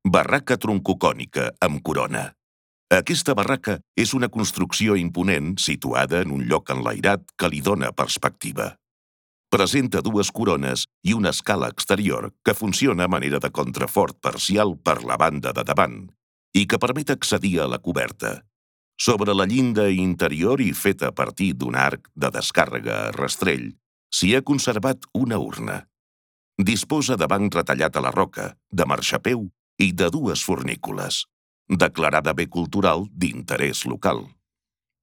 Barraca troncocònica amb corona. Aquesta barraca és una construcció imponent situada en un lloc enlairat que li dóna perspectiva. Presenta dues corones i una escala exterior que funciona a manera de contrafort parcial per la banda de davant i que permet accedir a la coberta. Sobre la llinda interior i feta a partir d'un arc de descàrrega a rastrell, s'hi ha conservat una urna. Disposa de banc retallat a la roca, de marxapeu i de dues fornícules, declarada bé cultural d'interès local.